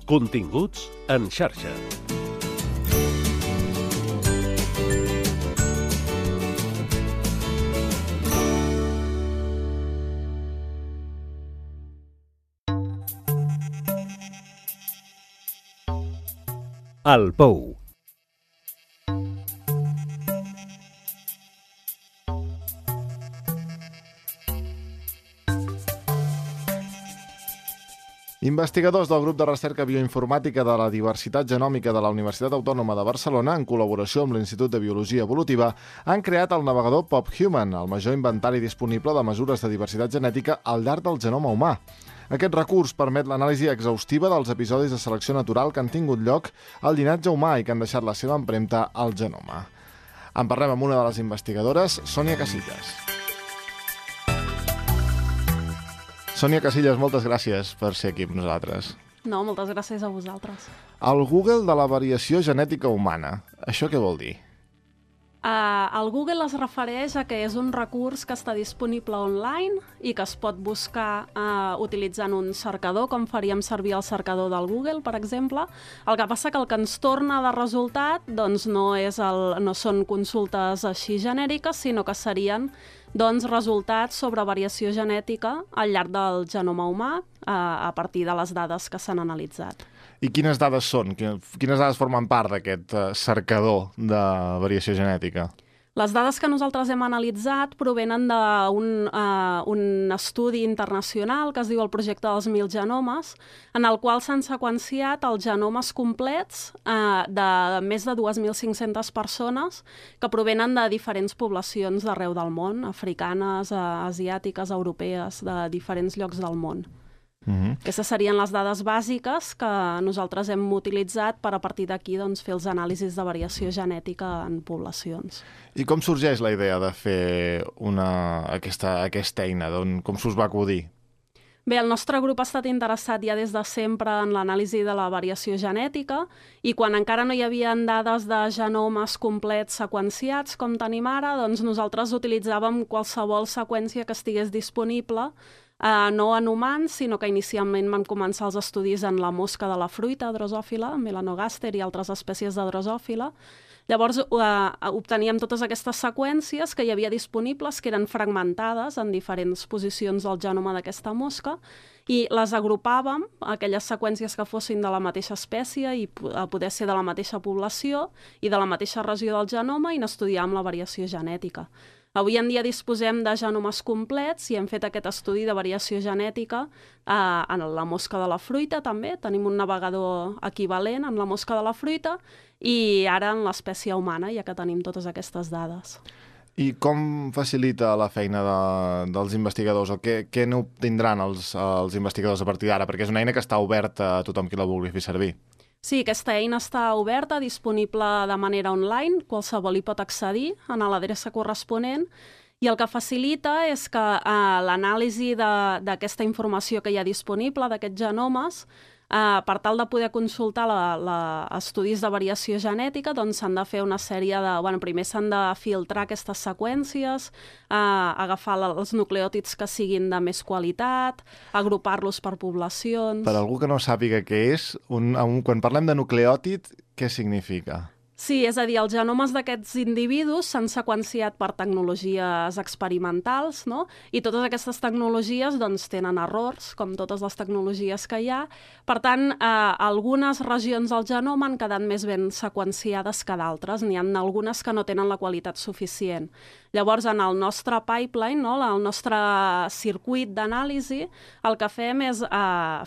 Continguts en xarxa. El Pou. Investigadors del grup de recerca bioinformàtica de la diversitat genòmica de la Universitat Autònoma de Barcelona, en col·laboració amb l'Institut de Biologia Evolutiva, han creat el navegador PopHuman, el major inventari disponible de mesures de diversitat genètica al llarg del genoma humà. Aquest recurs permet l'anàlisi exhaustiva dels episodis de selecció natural que han tingut lloc al llinatge humà i que han deixat la seva empremta al genoma. En parlem amb una de les investigadores, Sònia Casillas. Sònia Casillas, moltes gràcies per ser aquí amb nosaltres. No, moltes gràcies a vosaltres. El Google de la variació genètica humana, això què vol dir? El Google es refereix a que és un recurs que està disponible online i que es pot buscar utilitzant un cercador, com faríem servir el cercador del Google, per exemple. El que passa que el que ens torna de resultat doncs, no són consultes així genèriques, sinó que serien resultats sobre variació genètica al llarg del genoma humà a partir de les dades que s'han analitzat. I quines dades són? Quines dades formen part d'aquest cercador de variació genètica? Les dades que nosaltres hem analitzat provenen d'un estudi internacional que es diu el Projecte dels 1000 genomes, en el qual s'han seqüenciat els genomes complets de més de 2.500 persones que provenen de diferents poblacions d'arreu del món, africanes, asiàtiques, europees, de diferents llocs del món. Aquestes serien les dades bàsiques que nosaltres hem utilitzat per a partir d'aquí fer els anàlisis de variació genètica en poblacions. I com sorgeix la idea de fer aquesta eina? Com s'us va acudir? Bé, el nostre grup ha estat interessat ja des de sempre en l'anàlisi de la variació genètica i quan encara no hi havia dades de genomes complets seqüenciats com tenim ara, doncs nosaltres utilitzàvem qualsevol seqüència que estigués disponible, no en humans, sinó que inicialment van començar els estudis en la mosca de la fruita drosòfila, Melanogaster i altres espècies de drosòfila. Llavors obteníem totes aquestes seqüències que hi havia disponibles, que eren fragmentades en diferents posicions del genoma d'aquesta mosca, i les agrupàvem, aquelles seqüències que fossin de la mateixa espècie i poder ser de la mateixa població i de la mateixa regió del genoma, i n'estudiàvem la variació genètica. Avui en dia disposem de genomes complets i hem fet aquest estudi de variació genètica en la mosca de la fruita també. Tenim un navegador equivalent en la mosca de la fruita i ara en l'espècie humana, ja que tenim totes aquestes dades. I com facilita la feina dels investigadors o què n'obtindran els investigadors a partir d'ara? Perquè és una eina que està oberta a tothom qui la vulgui fer servir. Sí, aquesta eina està oberta, disponible de manera online, qualsevol hi pot accedir a l'adreça corresponent, i el que facilita és que l'anàlisi d'aquesta informació que hi ha disponible, d'aquests genomes, per tal de poder consultar estudis de variació genètica, doncs s'han de fer una sèrie de... Primer s'han de filtrar aquestes seqüències, agafar els nucleòtids que siguin de més qualitat, agrupar-los per poblacions... Per algú que no sàpiga què és, quan parlem de nucleòtid, què significa? Sí, és a dir, els genomes d'aquests individus s'han seqüenciat per tecnologies experimentals, no? I totes aquestes tecnologies tenen errors, com totes les tecnologies que hi ha. Per tant, algunes regions del genoma han quedat més ben seqüenciades que d'altres. N'hi ha algunes que no tenen la qualitat suficient. Llavors, en el nostre pipeline, el nostre circuit d'anàlisi, el que fem és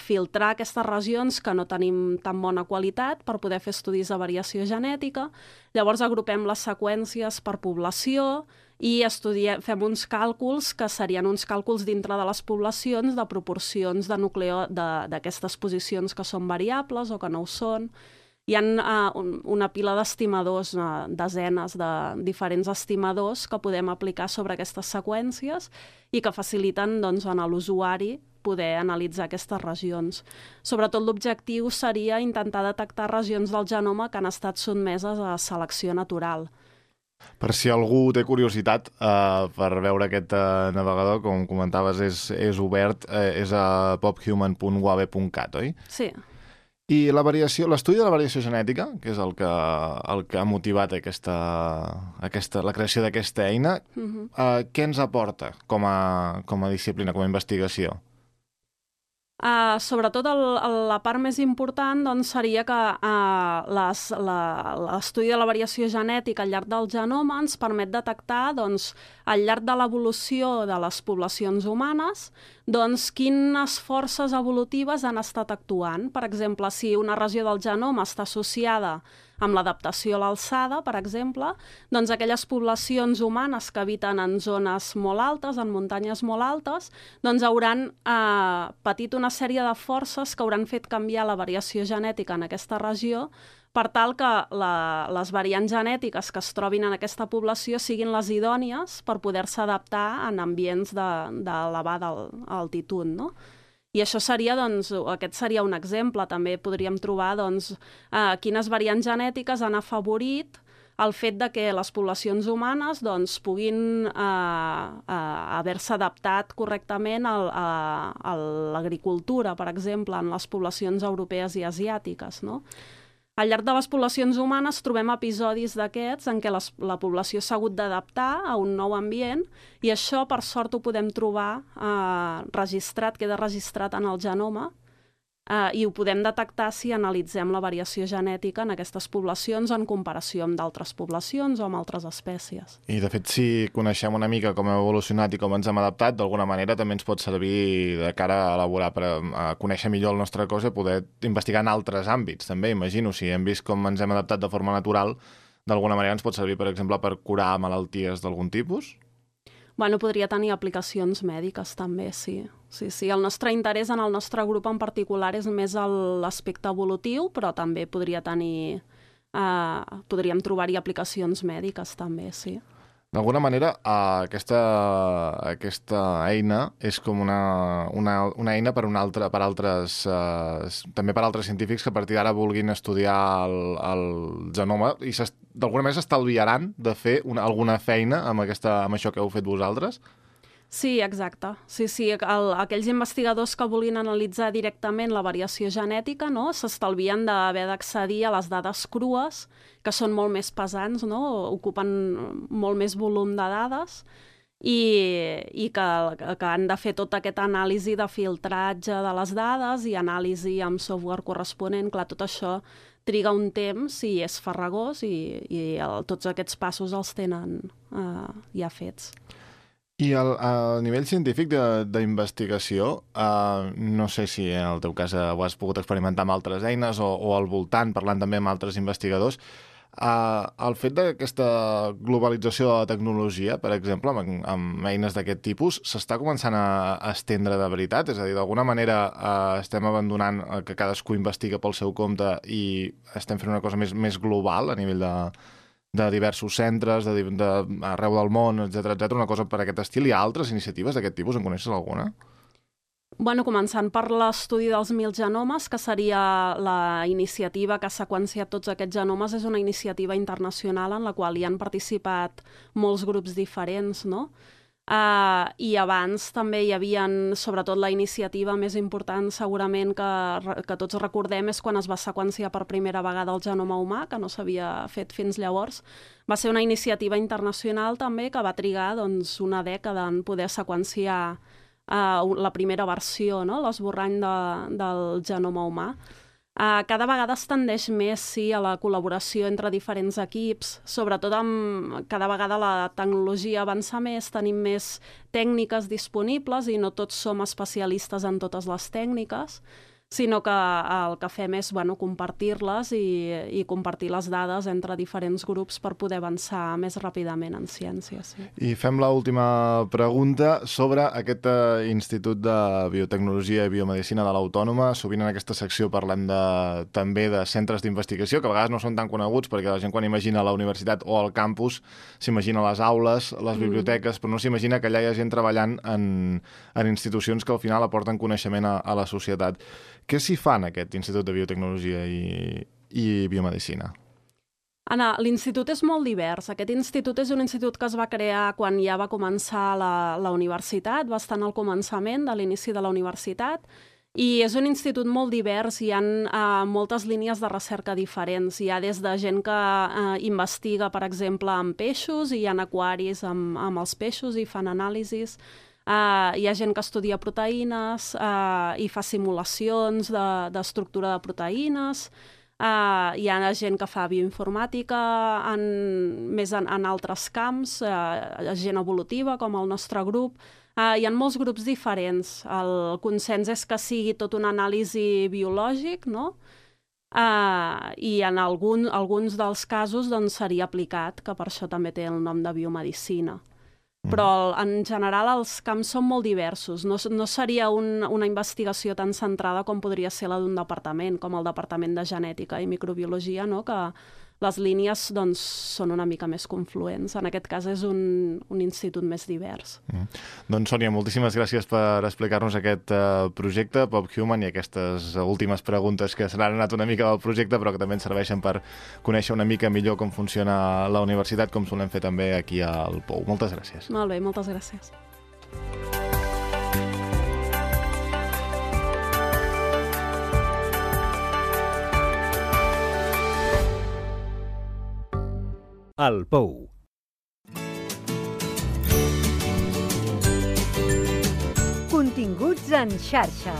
filtrar aquestes regions que no tenim tan bona qualitat per poder fer estudis de variació genètica. Llavors agrupem les seqüències per població i fem uns càlculs que serien uns càlculs dintre de les poblacions de proporcions de d'aquestes posicions que són variables o que no ho són. Hi ha una pila d'estimadors, desenes de diferents estimadors que podem aplicar sobre aquestes seqüències i que faciliten a l'usuari poder analitzar aquestes regions. Sobretot l'objectiu seria intentar detectar regions del genoma que han estat sotmeses a selecció natural. Per si algú té curiositat per veure aquest navegador, com comentaves, és obert, és a pophuman.uabe.cat, oi? Sí. I l'estudi de la variació genètica, que és el que ha motivat la creació d'aquesta eina, què ens aporta com a disciplina, com a investigació? Sobretot la part més important doncs, seria que l'estudi de la variació genètica al llarg del genoma ens permet detectar doncs, al llarg de l'evolució de les poblacions humanes doncs, quines forces evolutives han estat actuant. Per exemple, si una regió del genoma està associada amb l'adaptació a l'alçada, per exemple, doncs aquelles poblacions humanes que habiten en zones molt altes, en muntanyes molt altes, doncs hauran patit una sèrie de forces que hauran fet canviar la variació genètica en aquesta regió per tal que les variants genètiques que es trobin en aquesta població siguin les idònies per poder-se adaptar en ambients d'elevada altitud, no? I això seria, doncs, aquest seria un exemple. També podríem trobar doncs, quines variants genètiques han afavorit el fet de que les poblacions humanes doncs, puguin haver-se adaptat correctament a l'agricultura, per exemple, en les poblacions europees i asiàtiques, no? Al llarg de les poblacions humanes trobem episodis d'aquests en què la població s'ha hagut d'adaptar a un nou ambient i això, per sort, ho podem trobar registrat, queda registrat en el genoma i ho podem detectar si analitzem la variació genètica en aquestes poblacions en comparació amb d'altres poblacions o amb altres espècies. I, de fet, si coneixem una mica com hem evolucionat i com ens hem adaptat, d'alguna manera també ens pot servir de cara a elaborar, a conèixer millor el nostre cos i poder investigar en altres àmbits, també, imagino. Si hem vist com ens hem adaptat de forma natural, d'alguna manera ens pot servir, per exemple, per curar malalties d'algun tipus? Bueno, podria tenir aplicacions mèdiques també, sí. Sí. El nostre interès en el nostre grup en particular és més l'aspecte evolutiu, però també podríem trobar-hi aplicacions mèdiques també, sí. D'alguna manera, aquesta eina és com una eina també per altres científics que a partir d'ara vulguin estudiar el genoma i d'alguna manera s'estalviaran de fer alguna feina amb això que heu fet vosaltres? Sí, exacte. Sí, aquells investigadors que vulguin analitzar directament la variació genètica, no, s'estalvien d'haver d'accedir a les dades crues, que són molt més pesants, no, ocupen molt més volum de dades, i que han de fer tota aquesta anàlisi de filtratge de les dades i anàlisi amb software corresponent. Clar, tot això triga un temps i és farragós i tots aquests passos els tenen ja fets. I a nivell científic d'investigació, no sé si en el teu cas ho has pogut experimentar amb altres eines o al voltant, parlant també amb altres investigadors, el fet d'aquesta globalització de la tecnologia, per exemple, amb eines d'aquest tipus, s'està començant a estendre de veritat? És a dir, d'alguna manera estem abandonant que cadascú investiga pel seu compte i estem fent una cosa més global a nivell de diversos centres, arreu del món, etc, una cosa per aquest estil. Hi ha altres iniciatives d'aquest tipus? En coneixes alguna? Bueno, començant per l'estudi dels 1000 genomes, que seria la iniciativa que ha seqüenciat tots aquests genomes, és una iniciativa internacional en la qual hi han participat molts grups diferents, no? I abans també hi havia, sobretot la iniciativa més important segurament que tots recordem és quan es va seqüenciar per primera vegada el genoma humà, que no s'havia fet fins llavors. Va ser una iniciativa internacional també que va trigar doncs, una dècada en poder seqüenciar la primera versió, no? L'esborrany del genoma humà. Cada vegada es tendeix més a la col·laboració entre diferents equips, sobretot cada vegada la tecnologia avança més, tenim més tècniques disponibles i no tots som especialistes en totes les tècniques, sinó que el que fem és compartir-les i compartir les dades entre diferents grups per poder avançar més ràpidament en ciència. Sí. I fem l'última pregunta sobre aquest Institut de Biotecnologia i Biomedicina de l'Autònoma. Sovint en aquesta secció parlem també de centres d'investigació, que a vegades no són tan coneguts perquè la gent quan imagina la universitat o el campus s'imagina les aules, les biblioteques, però no s'imagina que allà hi ha gent treballant en institucions que al final aporten coneixement a la societat. Què s'hi fa en aquest Institut de Biotecnologia i Biomedicina? Anna, l'institut és molt divers. Aquest institut és un institut que es va crear quan ja va començar la universitat, va estar al començament de l'inici de la universitat, I és un institut molt divers, hi ha moltes línies de recerca diferents. Hi ha des de gent que investiga, per exemple, amb peixos, i hi ha aquaris amb els peixos i fan anàlisis. Hi ha gent que estudia proteïnes i fa simulacions d'estructura de proteïnes. Hi ha gent que fa bioinformàtica més en altres camps, gent evolutiva, com el nostre grup. Hi ha molts grups diferents. El consens és que sigui tot un anàlisi biològic, no? I en alguns dels casos doncs, seria aplicat, que per això també té el nom de biomedicina. Però en general els camps són molt diversos. No seria una investigació tan centrada com podria ser la d'un departament, com el Departament de Genètica i Microbiologia, no? Que les línies doncs, són una mica més confluents. En aquest cas és un institut més divers. Doncs, Sònia, moltíssimes gràcies per explicar-nos aquest projecte, PopHuman, i aquestes últimes preguntes que se n'han anat una mica del projecte, però que també ens serveixen per conèixer una mica millor com funciona la universitat, com solem fer també aquí al Pou. Moltes gràcies. Molt bé, moltes gràcies. El Pou. Continguts en xarxa.